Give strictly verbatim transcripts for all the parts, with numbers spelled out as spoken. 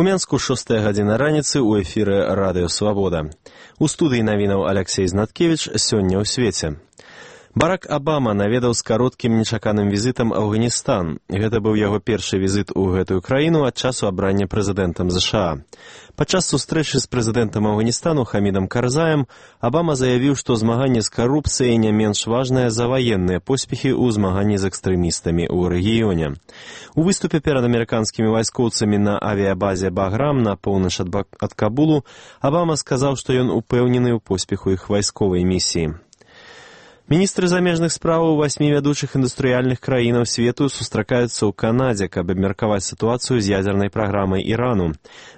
У Менску шостая гадзіна раніцы ў эфіры Радыё Свабода. У студыі навінаў Аляксей Знаткевіч сёння ў свеце. Барак Абама наведаў з кароткім нечаканым візітам Афганістан. Гэта быў яго першы візіт у гэтую краіну ад часу абрання прэзідэнтам ЗША. Падчас сустрэчы з прэзідэнтам Афганістану Хамідам Карзаем Абама заявіў, што змаганне з карупцыяй не менш важнае за ваенныя поспехі ў змаганні з экстрэмістамі ў рэгіёне. У выступе перад амерыканскімі вайскоўцамі на авіябазе Баграм на поўнач ад, ад Кабулу Абама сказаў, што ён упэўнены ў поспеху іх вайсковай місіі. Міністры замежных справаў васьмі вядучых індустрыяльных краінаў свету сустракаюцца ў Канадзе, каб абмеркаваць сітуацыю з ядзернай праграмай Ірану.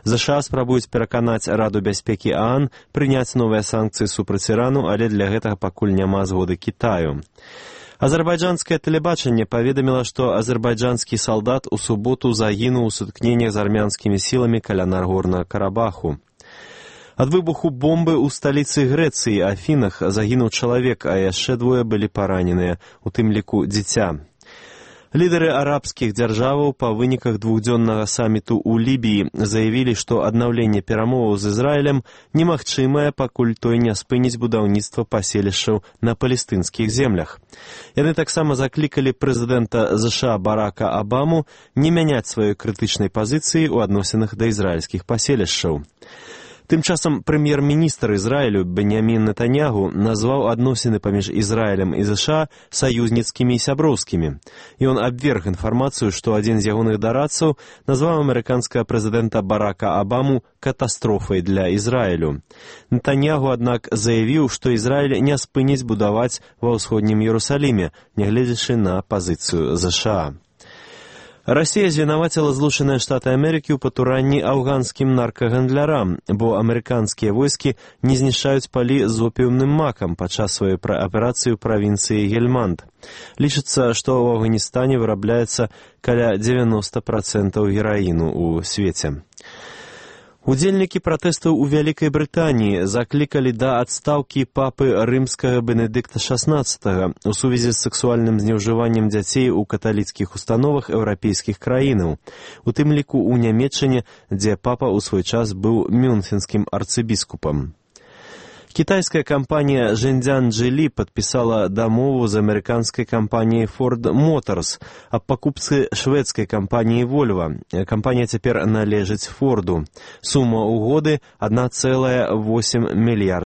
ЗША спрабуюць пераканаць Раду бяспекі ААН прыняць новыя санкцыі супраць Ірану, але для гэтага пакуль няма згоды Кітаю. Азербайджанскае тэлебачанне паведаміла, што азербайджанскі салдат у суботу загінуў у сутыкненнях з армянскімі сіламі каля Нагорнага Карабаху. Ад выбуху бомбы ў сталіцы Грэцыі, Афінах, загінуў чалавек, а яшчэ двое былі параненыя, у тым ліку дзіця. Лідары арабскіх дзяржаваў па выніках двухдзённага саміту ў Лібіі заявілі, што аднаўленне перамоваў з Ізраілем немагчымае, пакуль той не спыніць будаўніцтва паселішчаў на палестынскіх землях. Яны таксама заклікалі прэзідэнта ЗША Барака Абаму не мяняць сваёй крытычнай пазіцыі ў адносінах да ізраільскіх паселішчаў. Тым часам прэм'ер-міністр Ізраілю Беньямін Нетаньягу назваў адносіны паміж Ізраілем і ЗША саюзніцкімі і сяброўскімі. Ён абверг інфармацыю, што адзін з ягоных дарадцаў назваў амерыканскага прэзідэнта Барака Абаму катастрофай для Ізраілю. Нетаньягу, аднак, заявіў, што Ізраіль не спыніць будаваць ва ўсходнім Іерусаліме, нягледзячы на пазіцыю ЗША. Расія звінаваціла Злучаныя Штаты Амерыкі ў патуранні афганскім наркагандлярам, бо амерыканскія войскі не знішчаюць палі з опіумным макам падчас сваёй аперацыі ў правінцыі Гельманд. Лічыцца, што ў Афганістане вырабляецца каля дзевяноста працэнтаў гераіну ў свеце. Удзельнікі пратэстаў у Вялікай Брытаніі заклікалі да адстаўкі папы рымскага Бенедыкта шаснаццатага ў сувязі з сексуальным знеўжываннем дзяцей у каталіцкіх установах еўрапейскіх краінаў, у тым ліку ў Нямецчыне, дзе папа ў свой час быў мюнхенскім арцыбіскупам. Кітайская кампанія Зhendjiang Geely падпісала дамову з амерыканскай кампаніяй Ford Motors аб пакупцы шведскай кампаніі Volvo. Кампанія цяпер належыць Форду. Сума угоды адна цэлая восем мільярда